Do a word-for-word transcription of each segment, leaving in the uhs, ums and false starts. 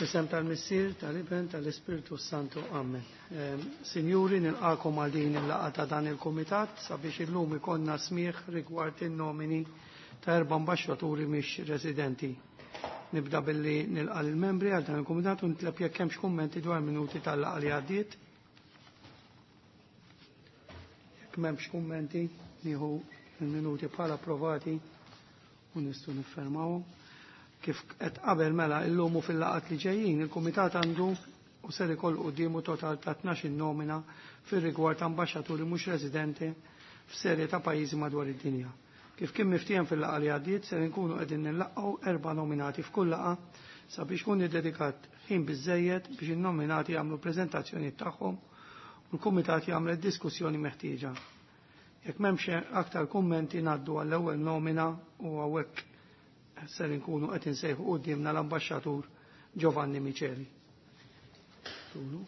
F'isem tal-Missier, tal-Iben, tal-Ispirtu Santu. Amen. Ehm, Sinjuri, nilqakom għal din il-laqgħa ta' dan il-Kumitat sabiex illum ikollna smigħ rigward in-nomini ta' erba' ambaxxaturi mhix residenti. Nibda billi nilqa' lill-membri għal dan il-Kumitat u nitleb jekk hemmx kummenti dwar minuti tal-laqgħa li għaddiet. Jekk m'hemmx kummenti, nieħu il-minuti bħala approvati u nistgħu niffermawhom. Kif qed qabel mela illum u fil-laqat li ġejjin, il-Kumitat għandu u ser ikollu quddiemu total ta' tnax-il nomina fir-rigward ta' ambaxxaturi mhux residenti f'serje ta' pajjiżi madwar id-dinja. Kif kien miftiehem fil-laqgħa li għaddiet, ser inkunu qegħdin nillaqgħu erba' nominati f'kull laqgħa sabiex kun iddedikat ħin biżejjed biex in-nominati jagħmlu preżentazzjonijiet tagħhom u l-Kumitat jagħmel diskussjoni meħtieġa. Jekk m'hemmx aktar kummenti, ngħaddu għall-ewwel nomina u hawnhekk ser inkunu qed insejħu quddiemna l-Ambaxxatur Giovanni Miceli. Tulu.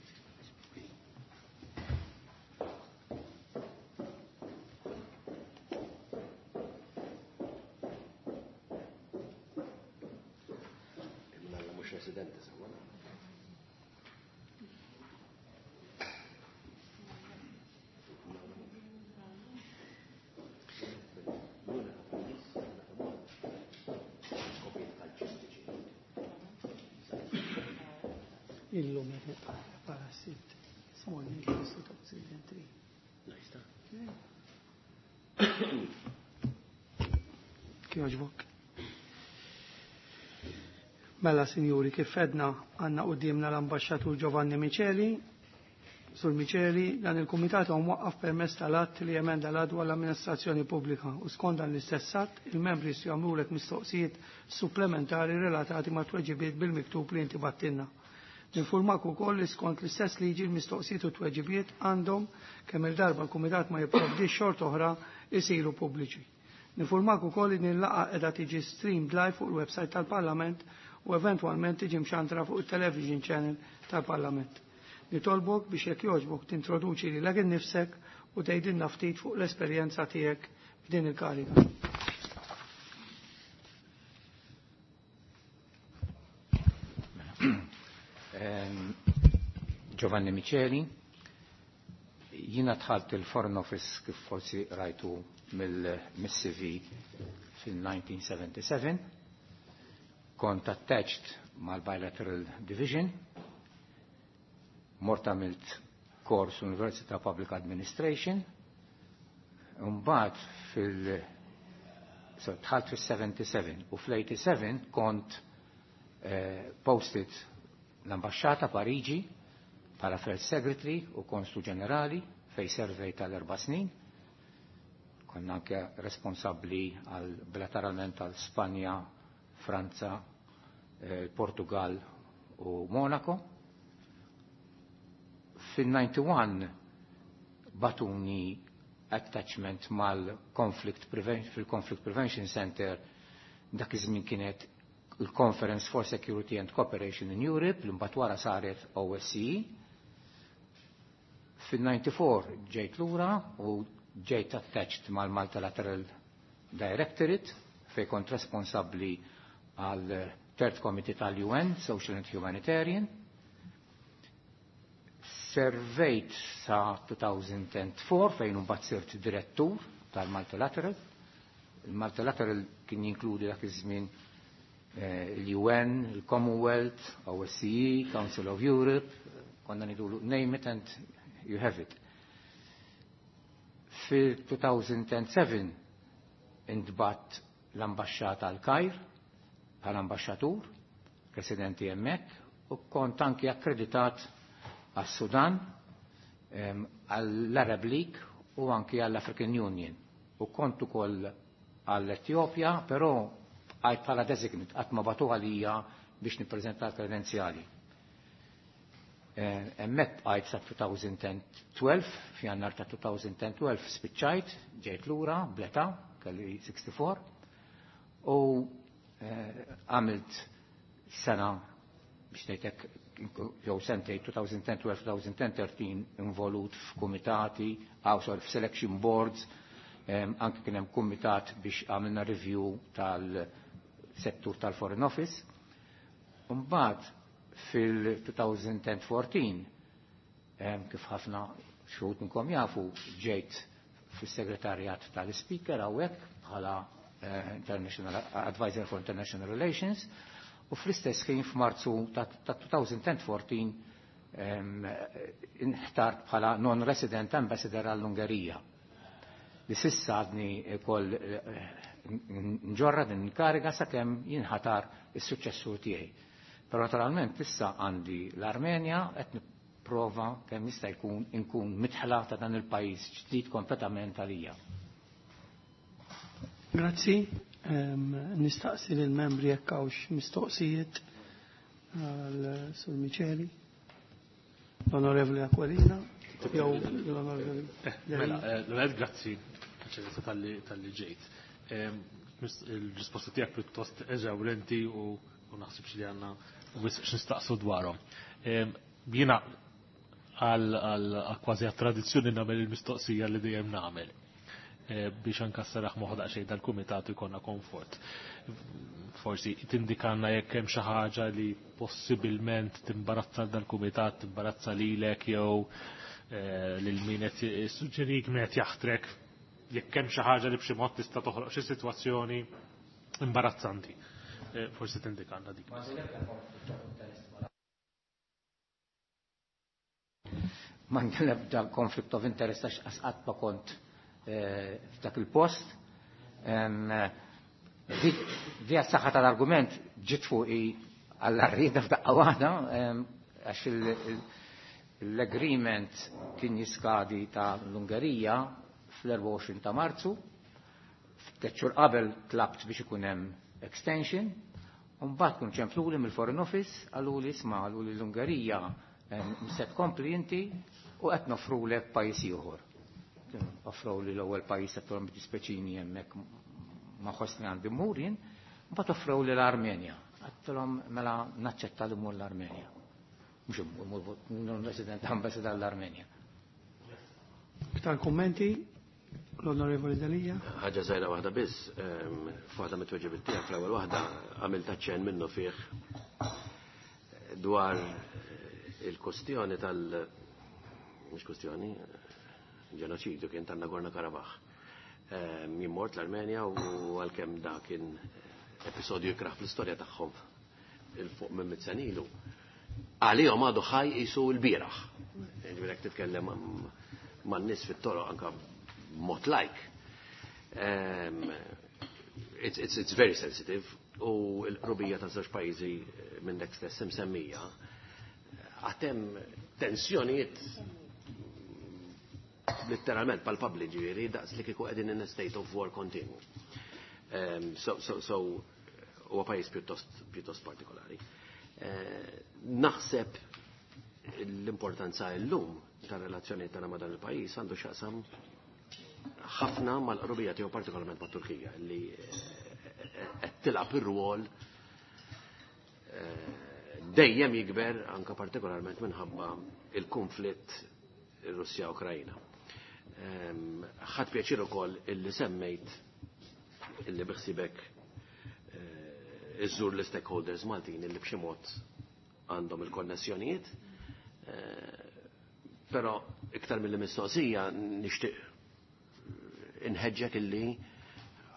Imma mhux residenti sewwa. Illum qed para sitt. Small two thousand three. Nice ta' Kjoġbok. Mela, sinjuri, kif għedna, għandna quddiemna l-Ambaxxatur Giovanni Miceli. Sur Miceli, dan il-Kumitat huwa mwaqqaf permezz tal-att li emenda l dwar l-amministrazzjoni pubblika u skont dan l-istess att il-membri jistgħu jagħmlulek mistoqsijiet supplementari relatati ma' tweġibiet bil-miktub li inti bgħattilna. Ninfurmak ukoll li skont l-istess liġi l-mistoqsijiet u tweġibiet għandhom, kemm il-darba l-Kumitat ma jipprovdix xort oħra, isiru pubbliċi. Ninfurmak ukoll li din laqgħa qiegħda tiġi streamed live fuq il-website tal-Parlament u eventwalment tiġi mxandra fuq il-television channel tal-Parlament. Nitolbok biex jekk jogħġbok tintroduċi lilek innifsek u tgħidilna ftit fuq l-esperjenza tiegħek f'din il-kariga. Ehm, Giovanni Miceli, jina dħalt il-Foreign Office, kif forsi rajtu mill-C V, fil-elf disa' mija u sebgħa u sebgħin, kont attached mal-Bilateral Division, mort għamilt kors University Public Administration, mbagħad fil- so dħalt fil-sebgħa u sebgħin u fl-sebgħa u tmienja kont eh, posted l-ambasċata Pariġi bħala First Secretary u Konsul Ġenerali, fej servejt tal-erba' snin. Konna anke responsabbli għal bilateralment għal Spanja, Franza, eh, Portugal u Monaco. Fil-disgħa u disgħin bagħtuni attachment mal-Conflict Prevention, fil-Conflict Prevention Center. Dak iż-żmien kienet il-Conference for Security and Cooperation in Europe, li mbagħad wara saret O S C E. Fil-disgħa u disgħin ġejt lura u ġejt attached mal-Multilateral Directorate, fej kont responsabbli għal Third Committee tal-U N, Social and Humanitarian. Servejt sa elfejn u erbgħa fejn mbagħad sirt direttur tal-Multilateral. Il-Multilateral kien jinkludi dak iż-żmien eh, l-U N, il-Commonwealth, O S C E, Council of Europe, konna ngħidulu "name it and you have it". Fil-elfejn u sebgħa intbgħatt l-ambasċata għal-Kajr bħala ambasċatur, residenti hemmhekk, u kont anki akkreditat għas-Sudan, għall-Arab League u anki għall-African Union. U kont ukoll għall-Etjopja, però għajt bħala designate, qatt ma bagħtu għalija biex nippreżenta l-kredenzjali. Hemmhekk bqajt sa elfejn u tnax, f'Jannar ta' elfejn u tnax spiċċajt, ġejt lura, bl-età, kelli sittaħużin, u eh, għamilt sena biex ngħidlek jew sentej elfejn u tnax, elfejn u tlettax involut f'kumitati, aw sorry, f'selection boards, anke kien hemm kumitat biex għamilna review tal-settur tal-Foreign Office. Mbagħad Fil-elfejn u erbatax, kif ħafna xi wħud minnkom jafu, ġejt fis-segretarjat tal-Speaker hawnhekk bħala eh, International Advisor for International Relations u fl-istess ħin f'Marzu ta' elfejn u erbatax inħtart bħala non-resident ambassador għall-Ungerija. Li s'issa għadni koll eh, nġorra din kariga sakemm jinħatar is-suċċessur tiegħi. Però naturalment issa għandi l-Armenja, qed nipprova kemm jista' jkun inkun midħla ta' dan il-pajjiż ġdid kompletament għalija. Grazzi. Nistaqsi lill-membri jekk hawnx mistoqsijiet għal Sur Miceli. L-Onorevoli Aquilina. Jew l-Onorevoli. Eh, mela, eh, l-għed grazzi talli ġejt. Il-risposta tiegħek pjuttost eżawrenti u naħsibx li għandna wisq x'nistaqsu dwarhom. Jiena għal kważi għat-tradizzjoni nagħmel il-mistoqsija li dejjem nagħmel eh, biex anka saraħ moħħ daqsxejn dal-kumitat jkollna komfort. Forsi tindikanna jekk hemm xi ħaġa li possibilment timbarazza dal-kumitat, timbarazza lilek jew eh, lil min qed suġġerik, min qed jaħtrek, jekk hemm xi ħaġa li b'xi mod tista' toħloq xi sitwazzjoni imbarazzanti. Eh, forsi tindikanna dik. Ma l-ebda conflict of interest għax qatt ma kont eh, f'dak il-post. Di saħħa tal-argument ġiet fuqi għall-arrieda f'daqqa waħda għax l-agreement kien jiskadi ta' l-Ungerija fl-erbgħa u għoxrin ta' Marzu. Tliet xhur qabel tlabt biex ikun hemm extension. Mbagħad kun ċempluli mill-Foreign Office, qaluli, isma', qaluli, l-Ungerija se tkompli inti u qed noffrulek pajjiż ieħor. Offrow li l-ewwel pajjiż, qed dispeċini, hemmhekk ma ħossni għandi mmur jien, mbagħad offrow li l-Armenja. Għedtilhom mela naċċetta li mmur l-Armenja. Mhux immur non-resident ambassador l-Armenja. Iktar kummenti? L-Onorevoli Delia. Ħaġa żgħira waħda biss, f'waħda mit-tweġibiet tiegħek, fl-ewwel waħda, għamilt aċċenn minnu fih dwar il-kustjoni tal mhux kustjoni, ġenoċidju kien tan Nagorno Karabakh. Jien mort l-Armenja u għalkemm da kien episodju ikraħ fl-istorja tagħhom 'il fuq minn mitt sena ilu, għalihom għadu ħaj qisu l-bieraħ. Ġifieri titkellem man-nies fit-toroq anka mod like. Um, it's, it's, it's very sensitive u l-qrubija ta' żewġ pajjiżi minn dak stess msemmija għad hemm tensjonijiet letteralment palpabli, ġifieri daqs li kieku qegħdin in a state of war continu. Um, so, so, so huwa pajjiż pjuttost pjuttost partikolari. Uh, naħseb l-importanza llum tar-relazzjoni tagħna ma' dan il-pajjiż għandu x'jaqsam ħafna mal-qrubija tiegħu, partikolarment mat-Turkija, li qed tilgħab ir-rwol dejjem jikber, anka partikolarment minħabba il-konflitt Russja-Ukrajna. Ħadt pjaċir ukoll illi semmejt illi biħsibek iżżur l-stakeholders Maltin illi b'xi mod għandhom il-konnessjonijiet. Però iktar mill-mistoqsija nixtieq inħeġġek illi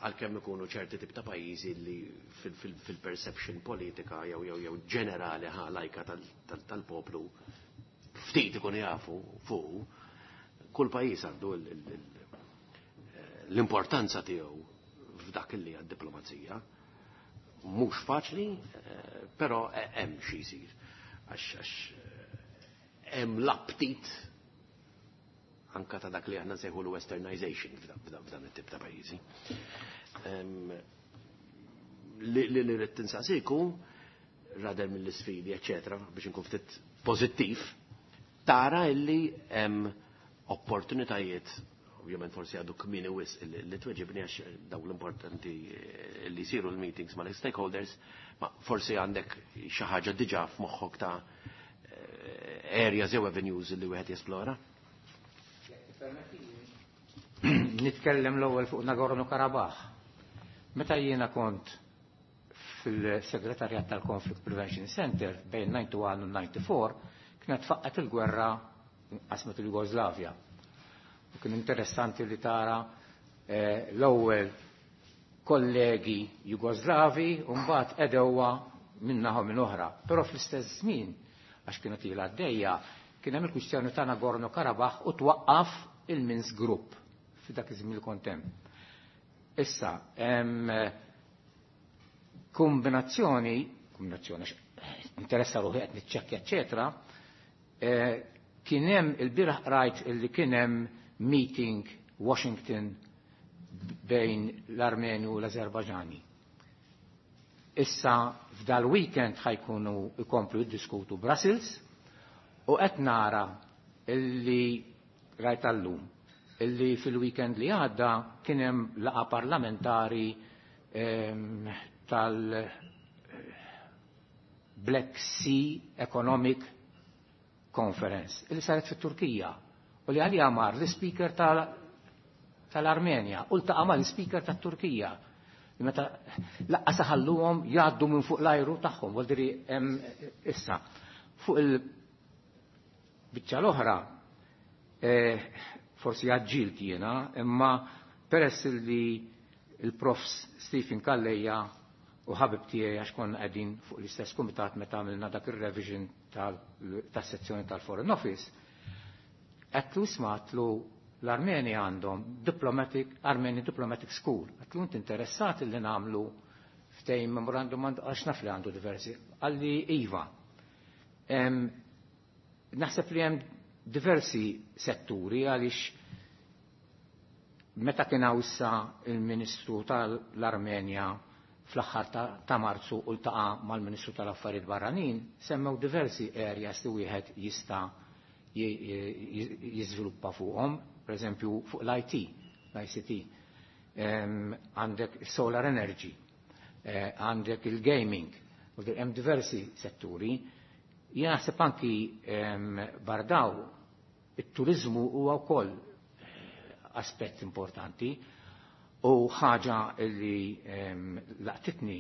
għalkemm ikunu ċerti tip ta' pajjiżi li fil-perception politika jew jew jew ġenerali ħa lajka tal-poplu ftit ikun jafu fuq, kull pajjiż għandu l-importanza tiegħu f'dak li għad-diplomazija. Mhux faċli, però hemm xi jsir. Għax hemm l-aptit anka ta' dak li aħna nsejħu l-westernization f'dan it-tip ta' pajjiżi. Li li rrid tinsaqsiku, rather mill-isfidi, eċetera, biex inkun ftit pożittiv, tara illi hemm opportunitajiet, ovvjament forsi għadu kmieni wisq li tweġibni għax daw l-importanti li jsiru l-meetings ma l-stakeholders, ma forsi għandek xi ħaġa diġà f'moħħok ta' areas jew avenues li wieħed jesplora? Nitkellem l-ewwel fuq Nagorno Karabakh. Meta jiena kont fil-segretarjat tal-Conflict Prevention Center bejn ninety-one u ninety-four kienet faqqet il-gwerra qasmet il-Jugoslavja. U kien interessanti li tara eh, l-ewwel kollegi Jugoslavi u mbagħad edewwa minnaħa minn oħra. Però fl-istess żmien, għax kienet ilha għaddejja, kien hemm il-kwistjoni ta' Nagorno-Karabakh u twaqqaf il-Minsk Group f'dak iż-żmien li kont hemm. Issa, hemm kombinazzjoni, kombinazzjoni interessa ruħi qed niċċekkja, eċetera, kien hemm il-bieraħ rajt illi kien hemm meeting Washington bejn l-Armeni u l-Azerbajġani. Issa f'dal-weekend ħajkunu ikomplu jiddiskutu Brussels u qed nara illi rajt allum illi fil-weekend li għadda kien hemm laqgħa parlamentari ehm, tal-Black Sea Economic Conference illi saret fit-Turkija u li għalija mar l-speaker tal-Armenja u ltaqa' mal-speaker tat-Turkija. Meta laqqa saħalluhom jgħaddu minn fuq l-ajru tagħhom, vuol dire hemm issa fuq il-biċċa l-oħra eh, forsi għagġilt jiena, imma peress li il-prof Stephen Calleja u ħabib tiegħi għax konna qegħdin fuq l-istess kumitat meta għamilna dak ir-revision tas-sezzjoni tal-Foreign Office, għedtlu isma' għedtlu l-Armeni għandhom diplomatic, Armeni Diplomatic School. Għedtlu inti interessat li nagħmlu ftehim memorandum għax naf li għandu diversi. Għalli iva. Naħseb li hemm diversi setturi għaliex meta kien hawn issa il-Ministru tal-Armenja fl-aħħar ta' Marzu u ltaqa' mal-Ministru tal-Affarijiet Barranin, semmew diversi areas li wieħed jista' jiżviluppa fuqhom, per eżempju fuq l-I T, l-I C T, għandek solar energy, eh, għandek il-gaming, u hemm diversi setturi. Jien naħseb anki bardaw it-turizmu huwa wkoll aspett importanti u ħaġa li laqtitni,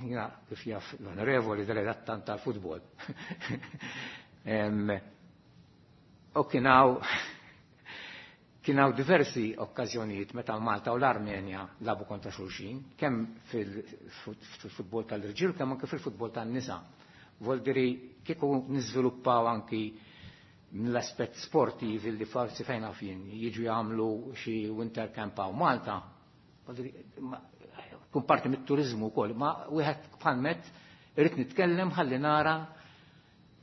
jiena kif jaf l-onorevoli delegat tant tal-futbol. U kien hawn kien hawn diversi okkażjonijiet meta Malta u l-Armenja labu kontra xulxin, kemm fil-futbol tal-irġiel kemm anke fil-futbol tan-nisa. Vuol dire kieku niżviluppaw anki mill-aspett sportiv li forsi fejn għafin jiġu jagħmlu xi winter camp hawn Malta. Vuol dire, kun parti mit-turizmu wkoll, ma wieħed bħalmet irid nitkellem ħalli nara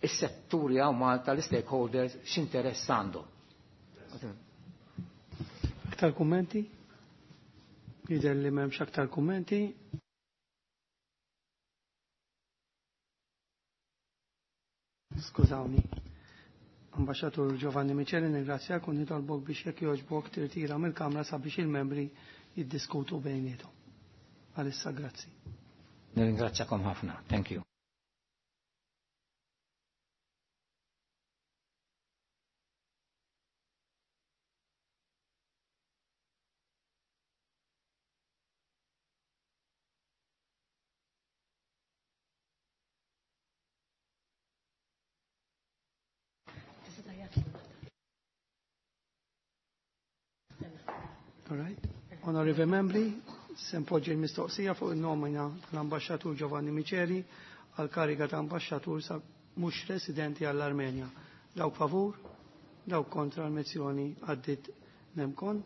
is-setturi hawn Malta, l-stakeholders x'interess għandhom. Aktar kummenti? Jidher li m'hemmx aktar kummenti. Skużawni. Ambasċatur Giovanni Miceli, ningrazzjak u nitolbok biex jekk jogħġbok tirtira mill-Kamra sabiex il-membri jiddiskutu bejniethom. Għalissa grazzi. Nirringrazzjakom ħafna. Thank you. All right. Onorevoli membri, se npoġġi l-mistoqsija fuq il-nomina tal-Ambaxxatur Giovanni Miceli għal kariga ta' ambaxxatur sa mhux residenti għall-Armenja. Dawk favur, dawk kontra l-mozzjoni għaddit nemkon.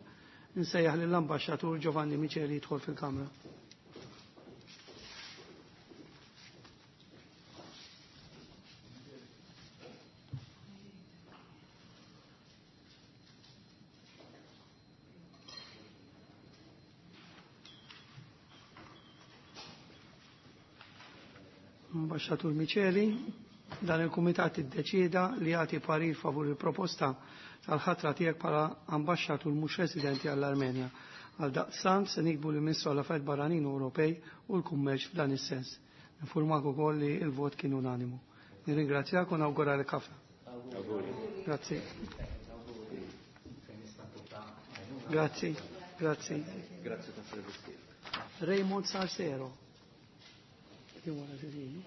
Nsejjaħ lill-Ambaxxatur Giovanni Miceli jidħol fil-Kamra. Ambaxxatur Miceli, dan il-Kumitat iddeċieda li jagħti parir favur il-proposta tal-ħatra tiegħek bħala ambaxxatur mhux residenti għall-Armenja. Għal daqstant se nikbu lill-Ministru għall-Affarijiet Barranin Ewropej u l-Kummerċ f'dan is-sens. Nifurmak ukoll li l-vot kien unanimu. Nirringrazzjak u nawguralek ħafna. Grazzi. Grazzi, grazzi. Grazzi tas-servizz tiegħek. Raymond Sarsero. Wara xulxin.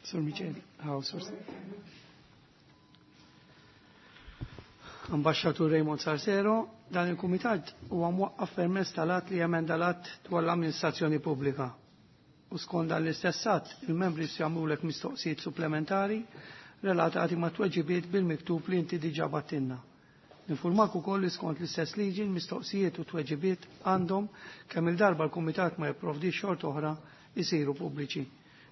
Sur Micheli, għaw, Sur Ambasċatur Raymond Sarsero, dan il-Kumitat huwa mwaqqaf permezz tal-att li jemenda l-att dwar l-amministrazzjoni pubblika. U skont dan l-istess att, il-membri jagħmlulek mistoqsijiet supplementari relatati ma' tweġibiet bil-miktub li inti diġà battinna. Ninfurmak ukoll li skont l-istess liġi l-mistoqsijiet u tweġibiet għandhom kemm il-darba l-Kumitat ma jipprovdix xort oħra jisiru pubbliċi.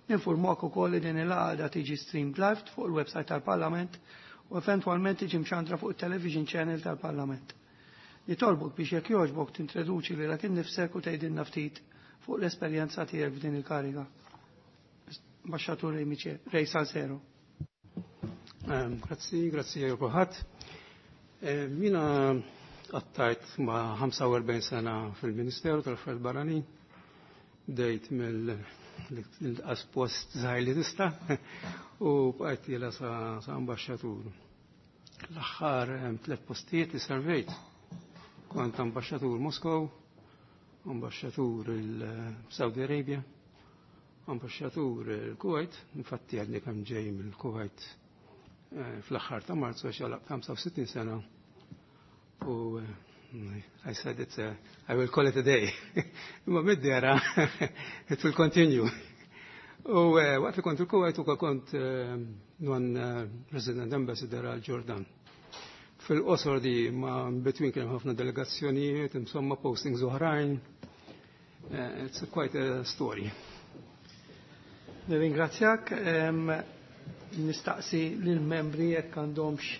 Ninfurmak ukoll li din il-għada tiġi streamed live fuq il-website tal-Parlament u eventwalment tiġi mxandra fuq il-television channel tal-Parlament. Nitolbok biex jekk jogħġbok tintroduċi lilek innifsek u tgħidilna ftit fuq l-esperjenza tiegħek f'din il-kariga. Ambaxxatur Ray Michel, Ray Salsero. Ehm, grazzi, grazzi għal kulħadd. Ehm, Jiena qattajt ma' ħamsa u erbgħin sena fil-Ministeru tal-Affarijiet Barranin. Bdejt mill-inqas post żgħir li tista' u bqajt jiela sa, sa ambaxxatur. L-aħħar ehm, tliet postijiet li servejt kont ambaxxatur Moskow, ambaxxatur il-Saudi Arabia, ambaxxatur il-Kuwait, infatti għadni kemm ġej mill-Kuwait eh, fl-aħħar ta' Marzu għax għalaq ħamsa u sittin sena u eh, I said it's a, I will call it a day. Imma mid-dera, it will continue. U eh, waqt li kont il-Kuwait ukoll kont non resident ambassador għal Ġordan. Fil-qosor di ma between kien hemm ħafna delegazzjonijiet, insomma postings oħrajn. Eh, It's quite a story. Nirringrazzjak, em, nistaqsi lill-membri jekk għandhomx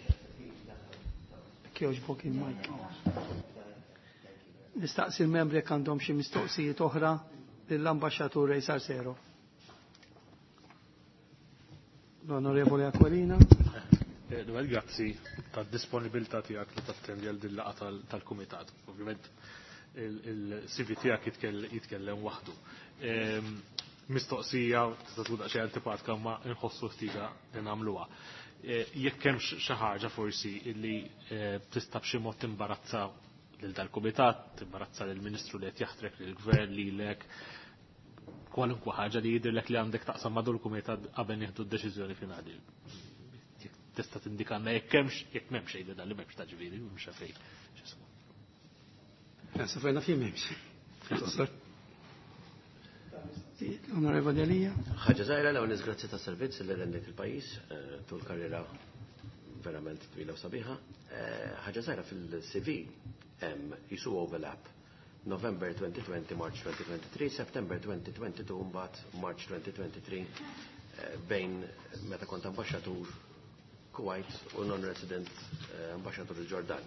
jekk jogħġbok il-mic. Nistaqsi l-membri jekk għandhom xi mistoqsijiet oħra lill-Ambaxxatur Ray Sarsero. L-Onorevoli Aquilina. Dwar grazzi tad-disponibilità tiegħek li tattendi għal din laqgħa tal-kumitat. Ovvjament il-C V tiegħek jitkellem waħdu. Ehm, mistoqsija tista' tkun daqsxejn antipatika ma nħossu ħtieġa li nagħmluha. Eh, jekk hemm xi ħaġa forsi li eh, tista' b'xi mod timbarazza lil dal-kumitat, timbarazza lill-Ministru li qed jaħtrek lill-Gvern lilek, kwalunkwe ħaġa li jidhirlek li għandek taqsam ma' dal-kumitat qabel nieħdu d-deċiżjoni finali. Tista' tindikanna jekk hemmx jekk m'hemmx xejn dan li m'hemmx ta' ġifieri, m'hemmx fejn. Sa fejna fih m'hemmx. L-Onorevoli Elia. Ħaġa żgħira l ewwel grazzi ta' servizz li rendejt il-pajjiż eh, tul karriera verament twila u sabiħa. Eh, ħaġa żgħira fil-C V hemm jisu overlap. November twenty twenty, March twenty twenty-three, September twenty twenty-two, mbagħad March twenty twenty-three eh, bejn meta kont ambaxxatur Kuwait u non-resident ambaxxatur il-Ġordan.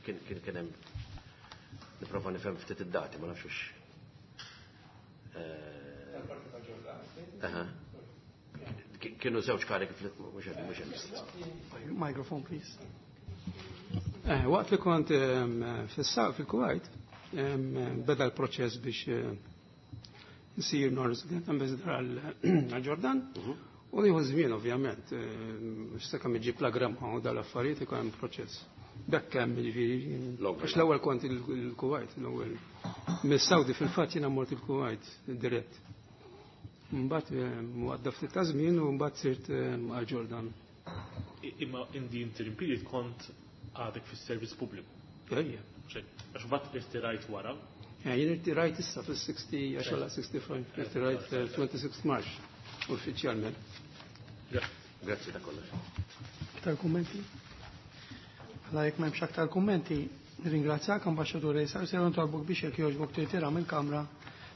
Kien kien kien hemm nipprova nifhem ftit id-dati, ma nafx hux. Aha. Kienu żewġ kariki mhux qed mhux qed. Microphone, please. Eh, waqt li kont ehm, fis-saq fil-Kuwait, ehm, beda l-proċess biex eh, nsir non-resident ambassador għal-Ġordan. U jieħu żmien ovvjament, x'sa kemm iġib la gramma u dal-affarijiet ikun hemm proċess. Bekk hemm jiġifieri. Għax l-ewwel kont il-Kuwait, l-ewwel. Mis-Saudi fil-fatt jiena mort il-Kuwait dirett. Mbagħad għadda ftit ta' żmien u mbagħad sirt għal-Ġordan. Imma in the interim period kont għadek fis-servizz pubbliku. Ejja. Għax mbagħad irtirajt wara. Jien irtirajt issa fis-sixty, għax sixty-five, irtirajt twenty-six March uffiċjalment. Grazzi ta' kollox. Aktar kummenti? Għala jekk m'hemmx aktar kummenti, nirringrazzjak Ambaxxatur Ray Sarsero nitolbok biex jekk jogħġbok tirtira mill-Kamra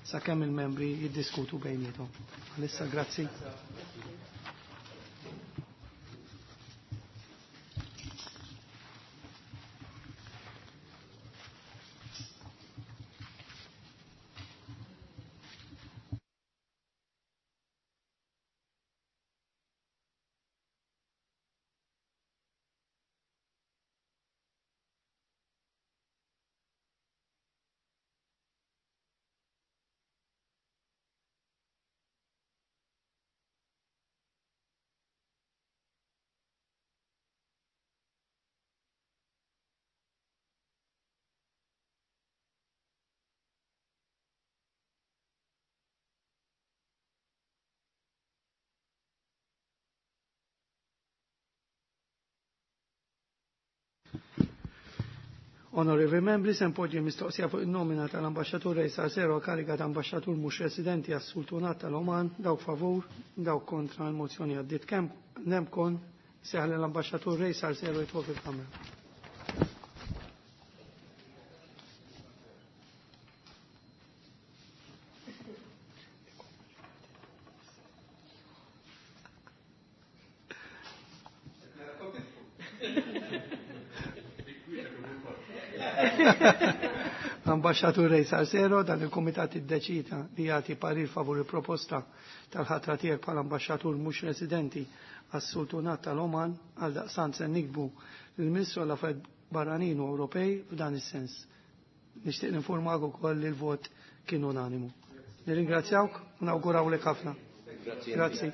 sakemm il-membri jiddiskutu bejniethom. Għalissa grazzi. Onorevoli membri, se npoġġi mistoqsija fuq in-nomina tal-Ambaxxatur Ray Salsero kariga ta' Ambaxxatur mhux residenti għas-Sultanat tal-Oman, dawk favur, dawk kontra l-mozzjoni għaddiet. Kemm nemkon seħ l-Ambaxxatur Ray Salsero jitfol fil-Kamra. L-Ambaxxatur Ray Salsero, dan il-Kumitat iddeċida li jagħti parir favur il-proposta tal-ħatra tiegħek bħala ambaxxatur mhux residenti għas-Sultanat tal-Oman. Għal daqstant se nikbu lill-Ministru għall-Affarijiet Barranin u Ewropej f'dan is-sens. Nixtieq ninformak ukoll li l-vot kien unanimu. Nirringrazzjawk u nawgurawlek ħafna. Grazzi.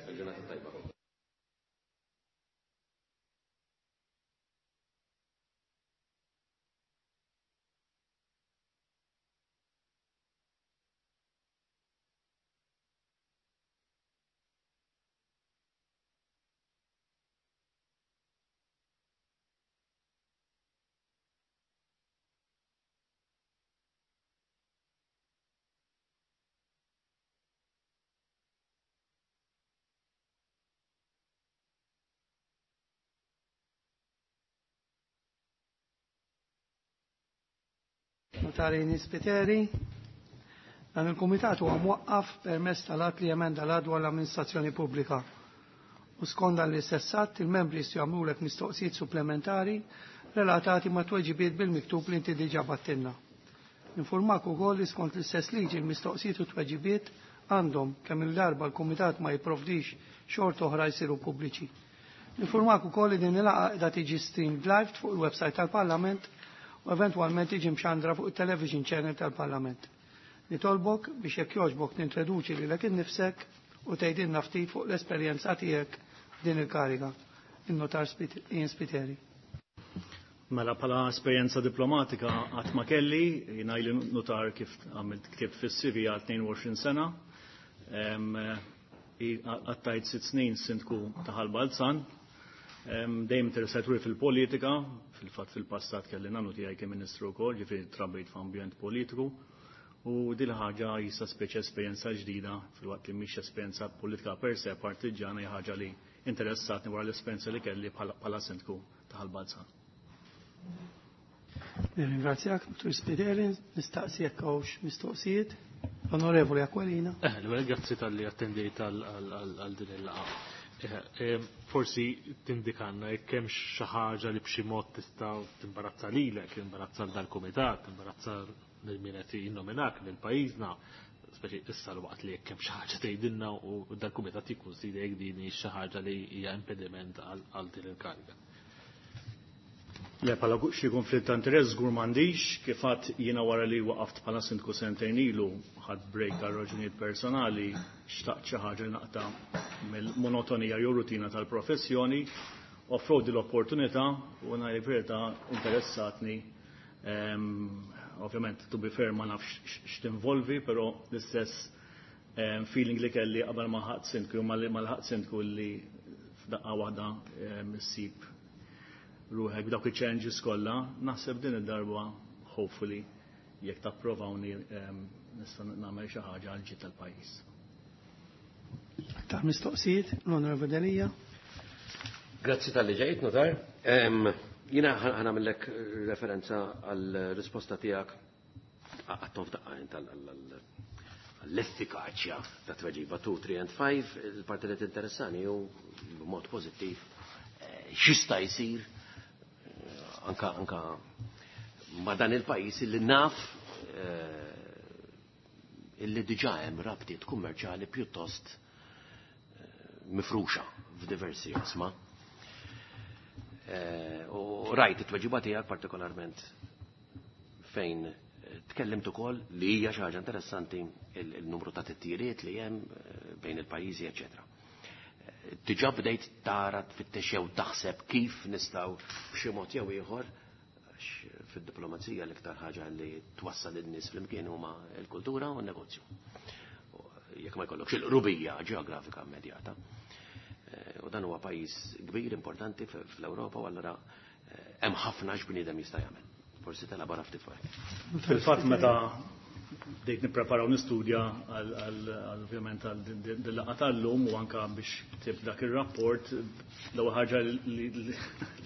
Notari Spiteri. Dan il-Kumitat huwa mwaqqaf permezz tal-att li jemenda l-att dwar l-amministrazzjoni pubblika. U skont dan l-istess att, il-membri jistgħu jagħmlulek mistoqsijiet supplementari relatati ma' tweġibiet bil-miktub li inti diġà battilna. Informak ukoll li skont l-istess liġi l-mistoqsijiet u tweġibiet għandhom kemm il-darba l-Kumitat ma jipprovdix xort oħra jsiru pubbliċi. Informak ukoll li din il-laqgħa qiegħda tiġi streamed live fuq il-website tal-Parlament u eventwalment tiġi mxandra fuq il-television channel tal-Parlament. Nitolbok biex jekk jogħġbok nintroduċi lilek innifsek u tgħidilna ftit fuq l-esperjenza tiegħek f'din il-kariga. In-notar Ian Spiteri. Mela bħala esperjenza diplomatika qatt ma kelli, jiena ili notar kif għamilt ktibt fis-C V għal tnejn u għoxrin sena. Għattajt sitt snin sindku ta' Ħal Balzan. Dejjem interessat ruħi fil-politika, fil-fatt fil-passat kelli nagħmlu tiegħi kien ministru wkoll, ġifieri trabbejt f'ambjent politiku. U din ħaġa jista' speċi esperjenza ġdida fil-waqt li mhix esperjenza politika per se partiġġana hija ħaġa li interessatni wara l-esperjenza li kelli bħala sindku ta' Ħal Balzan. Nirringrazzjak, Dottor Spiteri, nistaqsi jekk hawnx mistoqsijiet. Onorevoli Aquilina. Eh, l-ewwel grazzi tal-li attendejt għal din il-laqgħa. Forsi tindikanna jekk hemm xi ħaġa li b'xi mod tista' timbarazza lilek, timbarazza l dal-kumitat, timbarazza lil min qed jinnominak lil pajjiżna, speċi issa l-waqt li jekk hemm xi ħaġa tgħidilna u dal-kumitat jikkunsidra jekk din hi xi ħaġa li hija impediment għal din il-kariga. Le, bħala xi konflitt ta' interess żgur m'għandix, kif għadt jiena wara li waqaft bħala sindku sentejn ilu, ħadd break għal raġunijiet personali, xtaqt xi ħaġa li naqta' mill-monotonija jew rutina tal-professjoni, offrow din l-opportunità u ngħid verità interessatni. Ehm, ovvjament, to be fair, ma nafx x'tinvolvi, però l-istess, ehm, feeling li kelli qabel ma ħadd sindku jew ma ħadd sindku li f'daqqa waħda, ehm, issib ruħek b'dawk il-challenges kollha, naħseb din id-darba hopefully jekk tapprovawni, ehm, nista' nagħmel xi ħaġa għal ġid tal-pajjiż. Aktar mistoqsijiet, l-Onorevoli Delia. Grazzi tal-li ġejt, notar. Ehm, jiena ħanamillek referenza għal risposta tiegħek għattom f'daqqa int għall-effikaċja ta' tweġiba two, three and five, il-parti li tinteressani hu b'mod pożittiv, eh, x'jista' jsir anka, anka ma' dan il-pajjiż illi naf, eh, illi diġà hemm rabtiet kummerċjali pjuttost, eh, mifruxa f'diversi qosma. Eh, u rajt it-tweġiba tiegħek partikolarment fejn tkellimt ukoll li hija xi ħaġa interessanti il-numru ta' titjiriet li hemm, eh, bejn il-pajjiżi, eċetera. Diġà bdejt tara tfittex jew taħseb kif nistgħu b'xi mod jew ieħor, għax fid-diplomazija l-iktar ħaġa li twassal in-nies flimkien huma l-kultura u n-negozju. Jekk ma jkollokx il-qrubija ġeografika immedjata. Eh, u dan huwa pajjiż kbir importanti fl-Ewropa u allura, eh, hemm ħafna x'bniedem jista' jagħmel. Forsi telabora ftit fuq. Fil-fatt meta bdejt nippreparaw nistudja għal ovvjament għal dil-laqgħa tal-lum u anka biex ktib dak ir-rapport, l-ewwel ħaġa li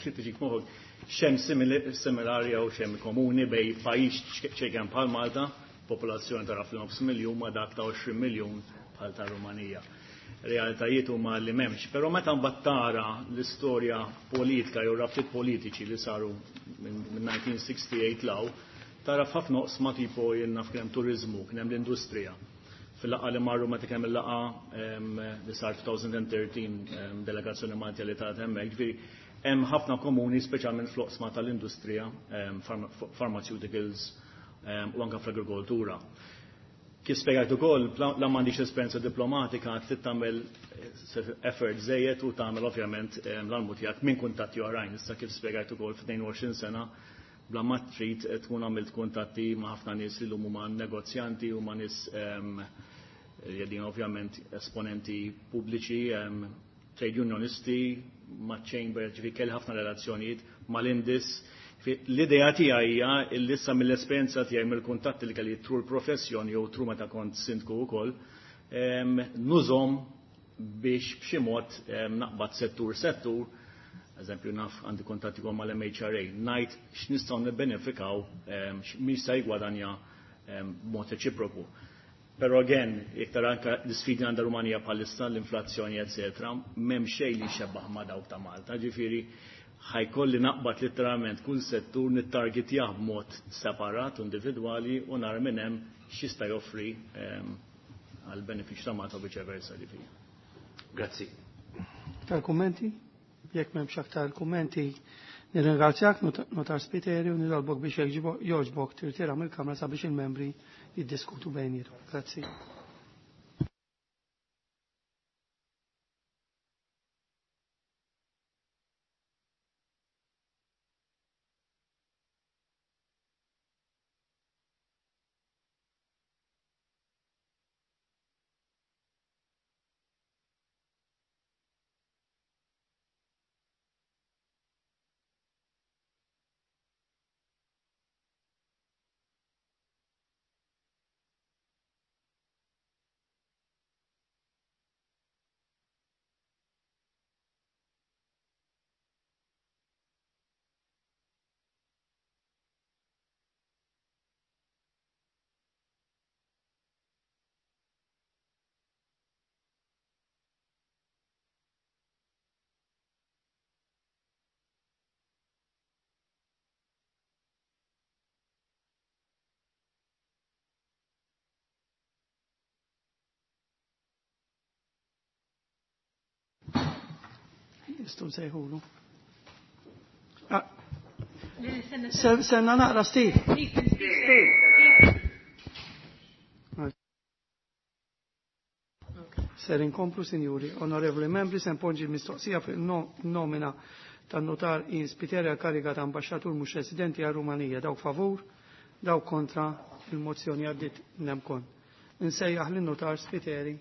tiġik moħħok x'hemm similari jew x'hemm komuni bejn pajjiż ċejken bħal Malta, popolazzjoni ta' roughly nofs miljun ma' dak ta' għoxrin miljun bħal ta' Rumanija. Realtajiet huma li m'hemmx, però meta mbagħad tara l-istorja politika jew rabtiet politiċi li saru minn nineteen sixty-eight law, tara f'ħafna oqsma tipo jien naf kien hemm turiżmu, kien hemm l-industrija. Fil-laqgħa li marru meta kien hemm il-laqgħa li sar two thousand thirteen delegazzjoni Maltija li tat hemmhekk, ġifieri hemm ħafna komuni speċjalment fl-oqsma tal-industrija, pharmaceuticals u anke fl-agrikoltura. Kif spjegajt ukoll, la m'għandix esperjenza diplomatika, trid tagħmel effort żejjed u tagħmel ovvjament l-almu tiegħek minn kuntatti oħrajn. Issa kif spjegajt ukoll f'tnejn u għoxrin sena bla ma trid tkun għamilt kuntatti ma' ħafna nies li llum huma negozjanti u ma' nies li ovvjament esponenti pubbliċi, trade unionisti, ma' chamber, ġifieri kelli ħafna relazzjonijiet mal-Indis. L-idea tiegħi hija li issa mill-esperjenza tiegħi mill-kuntatti li kelli tru l-professjoni jew tru meta kont sindku wkoll, nużhom biex b'xi mod naqbad settur settur, eżempju naf għandi kuntatti wkoll mal-M H R A, ngħid x'nistgħu nibbenefikaw, min se jgwadanja b'mod reċiproku. Però again, iktar anke l-isfidi għandha Rumanija bħalissa, l-inflazzjoni, eccetera, m'hemm xejn li xebbaħ ma' dawk ta' Malta, ġifieri ħajkolli naqbad letteralment kull settur nittargetjah b'mod separat, individwali, u nar minn hemm x'jista' joffri għal benefiċċju ta' Malta u viċe versa, ġifieri. Grazzi. Aktar kummenti? Jekk m'hemmx aktar kummenti, nirringrazzjak Notar Spiteri u nitolbok biex jogħġbok tirtira mill-Kamra sabiex il-membri jiddiskutu bejniethom. Grazzi. Nistgħu nsejħulu. Senna naqra, Steve. Ser inkomplu, sinjuri, onorevoli membri, se npoġġi l-mistoqsija fuq il-nomina tan-notar Ian Spiteri għal kariga ta' ambaxxatur mhux residenti għal Rumanija. Dawk favur, dawk kontra, il-mozzjoni għaddiet nemkon. Insejjaħ lin-notar Spiteri.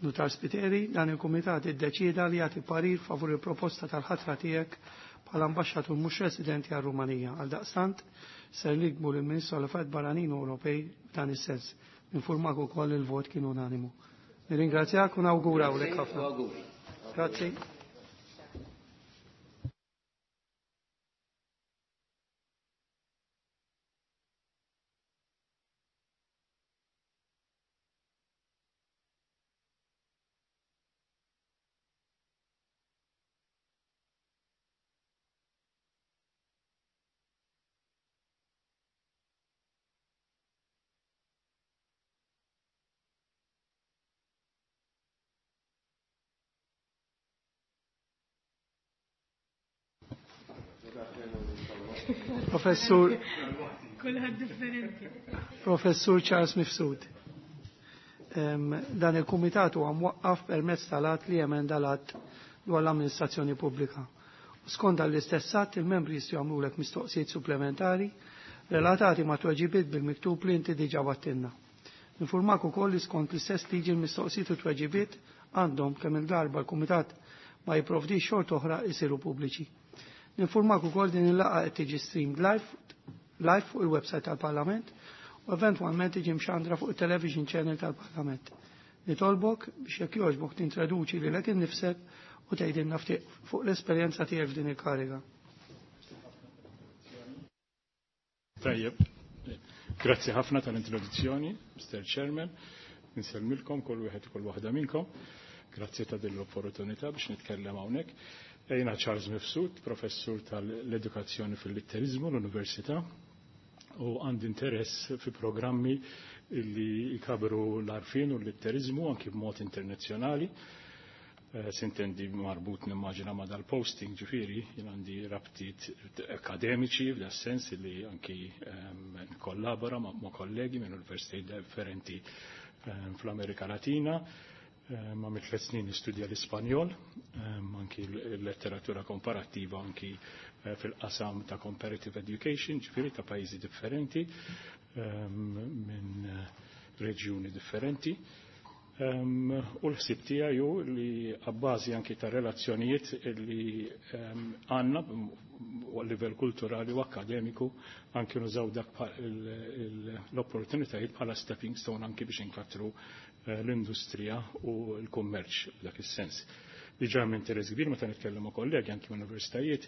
Notar Spiteri, dan il-Kumitat iddeċieda li jagħti parir favur il-proposta tal-ħatra tiegħek bħala ambaxxatur mhux residenti għal Rumanija. Għal daqstant ser nikbu lill-Ministru għal Affarijiet Barranin Ewropej f'dan is-sens. Ninfurmak ukoll il-vot kien unanimu. Nirringrazzjak u nawgurawlek ħafna. Grazzi. Professur Kulħadd differenti. Professur Charles Mifsud. Dan il-kumitat huwa mwaqqaf permezz tal-att li emenda l-att dwar l-amministrazzjoni pubblika. U skont dan l-istess att il-membri jistgħu jagħmlulek mistoqsijiet supplementari relatati ma' tweġibiet bil-miktub li inti diġà battilna. Nifurmak ukoll li skont l-istess liġi l-mistoqsijiet u tweġibiet għandhom kemm il-darba l-Kumitat ma jipprovdix xort oħra jsiru pubbliċi. Ninfurmak ukoll din il-laqgħa qed tiġi streamed live live fuq il-website tal-Parlament u eventwalment tiġi mxandra fuq il-television channel tal-Parlament. Nitolbok biex jekk jogħġbok tintroduċi lilek innifsek u tgħidilna ftit fuq l-esperjenza tiegħek f'din il-kariga. Tajjeb. Grazzi ħafna tal-introduzzjoni, Mister Chairman. Insellmilkom kull wieħed u kull waħda minnkom. Grazzi ta' din l-opportunità biex nitkellem hawnhekk. Jiena Charles Mifsud, professur tal-edukazzjoni fil-litterizmu l-Università, u għandi interess fi programmi li jkabru l-arfin u l-litterizmu anki b'mod internazzjonali. Sintendi marbut nimmaġina ma dal-posting, ġifieri, jien għandi rabtiet akademiċi f'da sens li anki nkollabora ma' kollegi minn universitajiet differenti fl-Amerika Latina. Ma mit tliet snin nistudja l-Ispanjol, anki l-letteratura komparattiva anki fil-qasam ta' comparative education, ġifieri ta' pajjiżi differenti minn reġjuni differenti. U l-ħsieb tiegħi hu li abbażi anki ta' relazzjonijiet li għandna u livell kulturali u akademiku anki nużaw dak l-opportunitajiet bħala stepping stone anki biex inkattru l-industrija u l-kummerċ f'dak is-sens. Diġà hemm interess kbir meta nitkellem ma' kollegi anki minn universitajiet,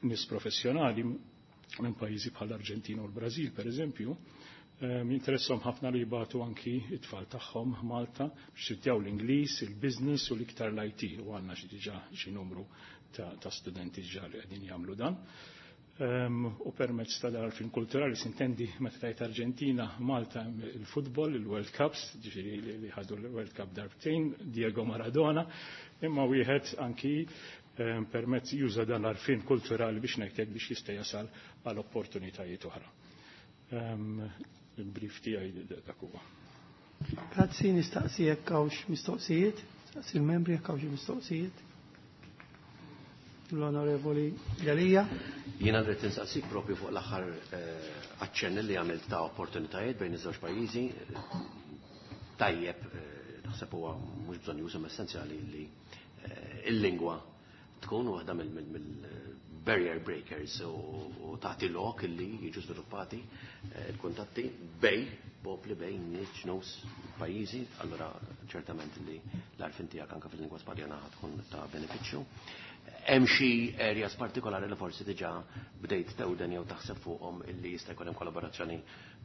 nies professjonali minn pajjiżi bħal Arġentina u l-Brażil pereżempju, jinteressom ħafna li jibatu anki it-tfal tagħhom Malta biex jistudjaw l-Ingliż, il-business u l-iktar l-I T, u għandna xi diġà xi numru ta' studenti diġà li qegħdin jagħmlu dan. U permezz ta' dal-fin kulturali sintendi meta tajt Arġentina, Malta il-futbol, il-World Cups, ġifieri li ħadu l-World Cup darbtejn, Diego Maradona, imma wieħed anki permezz juża dan l-arfin kulturali biex ngħidlek biex jista' jasal għal opportunitajiet oħra. Il-brief tiegħi dak huwa. Grazzi, nistaqsi jekk hawnx mistoqsijiet, nistaqsi l-membri jekk hawnx mistoqsijiet. L-Onorevoli Galija. Jiena rrid nistaqsik propju fuq l-aħħar aċċenn li għamilt ta' opportunitajiet bejn iż-żewġ pajjiżi. Tajjeb, naħseb huwa mhux bżonn jużhom essenzjali li il-lingwa tkun waħda mill-barrier breakers u tagħti lok li jiġu sviluppati il-kuntatti bej popli, bej nies, ġnus, pajjiżi, allura ċertament li l-għarfien tiegħek anke fil-lingwa Spanjola tkun ta' benefiċċju. Hemm xi areas partikolari li forsi diġà bdejt tewden jew taħseb fuqhom illi jista' jkun hemm kollaborazzjoni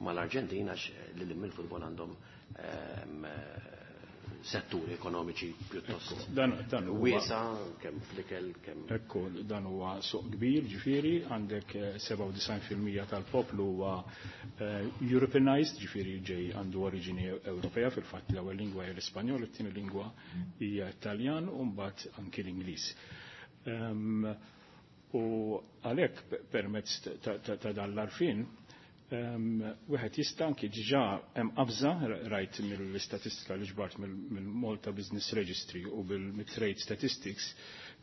mal-Arġentina għax lil mill-futbol għandhom setturi ekonomiċi pjuttost wiesa, kemm fl-ikel, kemm. Ekku, dan huwa suq kbir, ġifieri, għandek sebgħa u disgħin fil-mija tal-poplu huwa Europeanized, ġifieri ġej għandu oriġini Ewropea, fil-fatt l-ewwel lingwa hija l-Ispanjol, it-tieni lingwa hija Italjan u mbagħad anki l-Ingliż. U għalhekk permezz ta' dan l-arfin, wieħed jista' anki diġà hemm qabża rajt mill-istatistika li ġbart mill-Malta Business Registry u bil-Trade Statistics,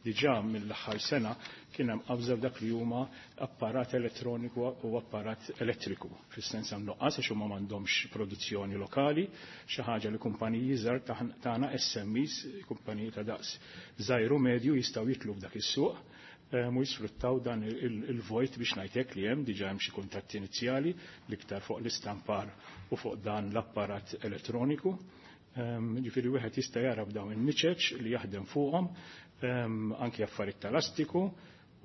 diġà mill-aħħar sena kien hemm qabża f'dak li huma apparat elettroniku u apparat elettriku. Fis-sens hemm nuqqas għax huma m'għandhomx produzzjoni lokali, xi ħaġa li kumpaniji żgħar tagħna S M Es, kumpaniji ta' daqs żgħir u medju jistgħu jitlu f'dak is-suq mu jisfruttaw dan il-vojt biex ngħidlek li hemm diġà hemm xi kuntatti inizjali l-iktar fuq l-istampar u fuq dan l-apparat elettroniku. Ġifieri wieħed jista' jara b'dawn in-niċeċ li jaħdem fuqhom, anki affarijiet tal-astiku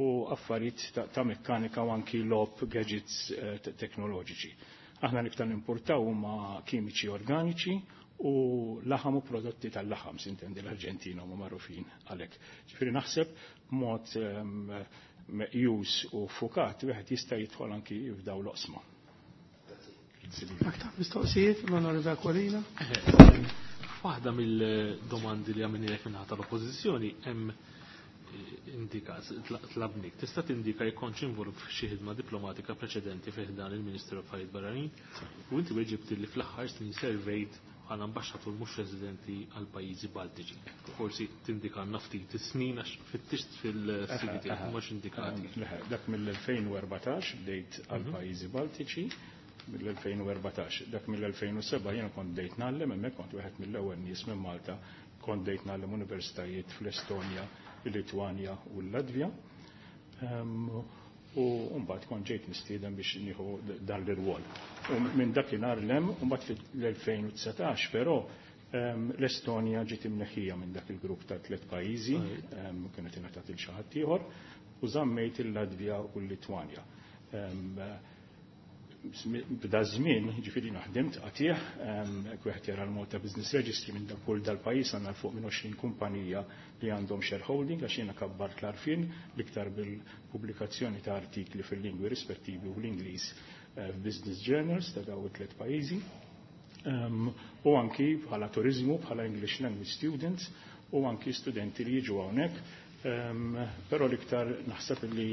u affarijiet ta' mekkanika u anki logħob gadgets teknoloġiċi. Aħna l-iktar nimportaw huma kimiċi organiċi u laħam u prodotti tal-laħam, sintendi l-Arġentina huma magħrufin għalhekk. Ġifieri naħseb mod meqjus u fukat wieħed jista' jidħol anki f'dawn l-oqsma. Aktar mistoqsijiet l-Onorevoli Aquilina. Waħda mill-domandi li għamilnielek minn ħadd tal-Oppożizzjoni hemm indika tlabnik. Tista' tindika jekk kontx involut f'xi ħidma diplomatika preċedenti fi ħdan il-Ministeru Affarijiet Barranin u inti weġibt li fl-aħħar snin servejt bħala ambaxxatur mhux residenti għal pajjiżi Baltiċi. Forsi tindikanna ftit is-snin għax fittixt fil-C V tiegħek mhux indikati. Dak mill-elfejn u erbatax bdejt għal pajjiżi Baltiċi, mill-elfejn u erbatax. Dak mill-elfejn u seba' jiena kont bdejt ngħallem hemmhekk, kont wieħed mill-ewwel nies minn Malta, kont bdejt ngħallem universitajiet fl-Estonja, il-Litwanja u l-Latvja. U mbagħad kont ġejt mistieden biex nieħu dan l-irwol. U minn dakinhar l-hemm, u mbagħad fil-elfejn u dsatax però l-Estonja ġiet imneħħija minn dak il-grupp ta' tliet pajjiżi, kienet ingħatat il xi ħadd ieħor, u żammejt il-Latvja u l-Litwanja. B'da żmien, ġifieri naħdimt qatih, wieħed jara l-Malta Business Registry minn dak kull dal-pajjiż għandna fuq minn għoxrin kumpanija li għandhom shareholding, għax jiena kabbart l-għarfien l-iktar bil-pubblikazzjoni ta' artikli fil-lingwi rispettivi u l-Ingliż f'business journals ta' dawn it-tliet pajjiżi. U anki bħala turizmu, bħala English language students, u anki studenti li jiġu hawnhekk. Però l-iktar naħseb li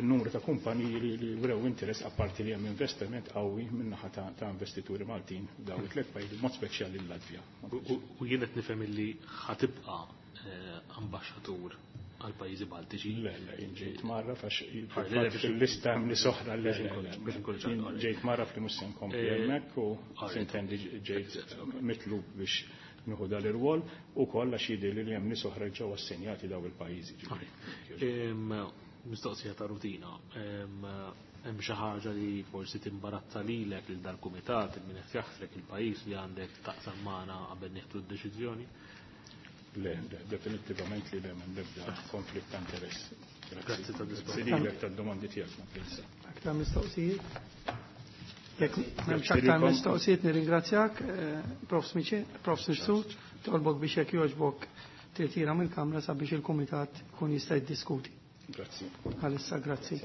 n-numru ta' kumpaniji li, li wrew interess apparti li hemm investiment qawwi min-naħa ta', ta' investituri Maltin dawn it-tliet pajjiżi, mod speċjali l-Latvja. U jien qed nifhem li ħatibqa' ambaxxatur għal pajjiżi Baltiċi. Le, le, jien ġejt marra għax fil-lista hemm nies oħra li jien ġejt marra fli mhux se nkompli hemmhekk u sintendi ġejt mitlub biex nieħu dal irwol u kollha xi jidhirli li hemm nies oħra ġew assenjati daw il-pajjiżi. Mistoqsija ta' rutina. Hemm xi ħaġa li forsi timbarazza lilek lil dal-kumitat, il min qed jaħsrek il-pajjiż li għandek taqsam magħna qabel nieħdu d-deċiżjoni? Le, definittivament li le, m'hemm l-ebda konflitt ta' interess. Grazzi ta' Grazzi lilek tad-domandi tiegħek. Aktar mistoqsijiet? Jekk m'hemmx aktar mistoqsijiet nirringrazzjak, Profs Prof Mifsud, tolbok biex jekk jogħġbok tirtira mill-Kamra sabiex il-Kumitat ikun jista' jiddiskuti. Grazzi. Għalissa grazzi.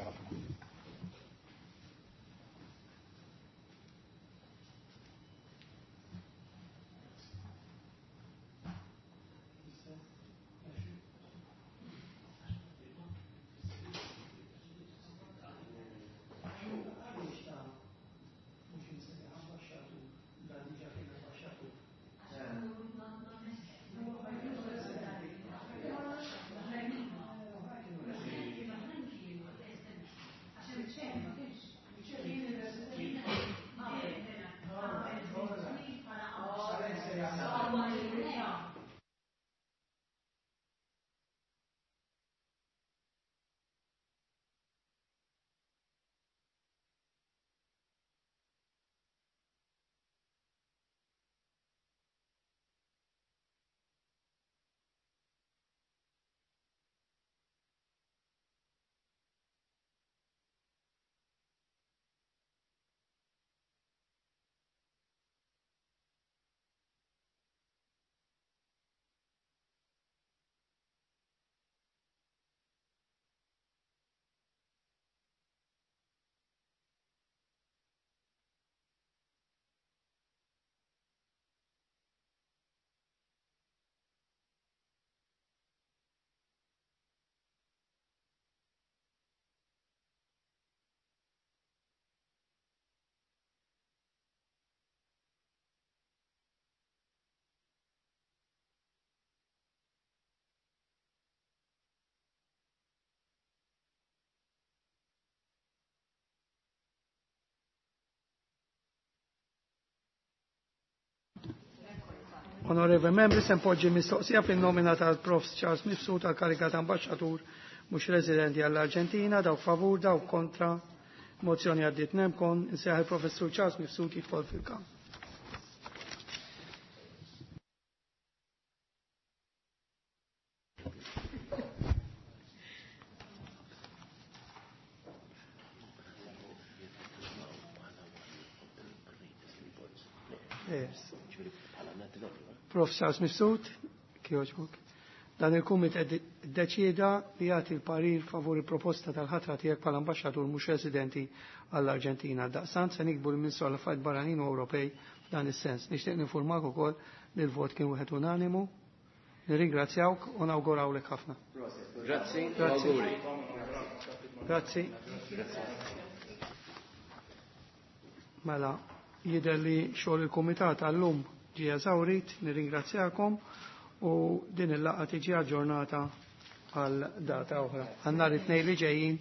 Onorevoli membri, se npoġġi mistoqsija fin-nomina tal-Profs Charles Mifsud tal-kariga ta' ambaxxatur mhux residenti għall-Arġentina, dawk favur, dawk kontra. Mozzjoni għaddiet nemkon, insejjaħ il-Professur Charles Mifsud jidħol fil-kamp. Yes. Prof Charles Mifsud, kjoġbuk. Dan il-kumit deċieda li jagħti l-parir favur il-proposta tal-ħatra tiegħek bħala ambaxxatur mhux residenti għall-Arġentina. Daqsant se nikbu l-Ministru għall affarijiet Barranin u Ewropej f'dan is-sens. Nixtieq ninfurmak ukoll li l-vot kien wieħed unanimu. Nirringrazzjawk u nawgurawlek ħafna. Grazzi, auguri. Grazzi. Mela, jidher li xogħol il-kumitat għallum ġie eżawrit, nirringrazzjakom u din il-laqgħa tiġi aġġornata għal data oħra. Għal nhar it-tnejn li ġejjin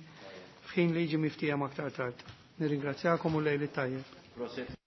f'ħin li jiġi miftiehem aktar tard. Nirringrazzjakom u lejl it-tajjeb.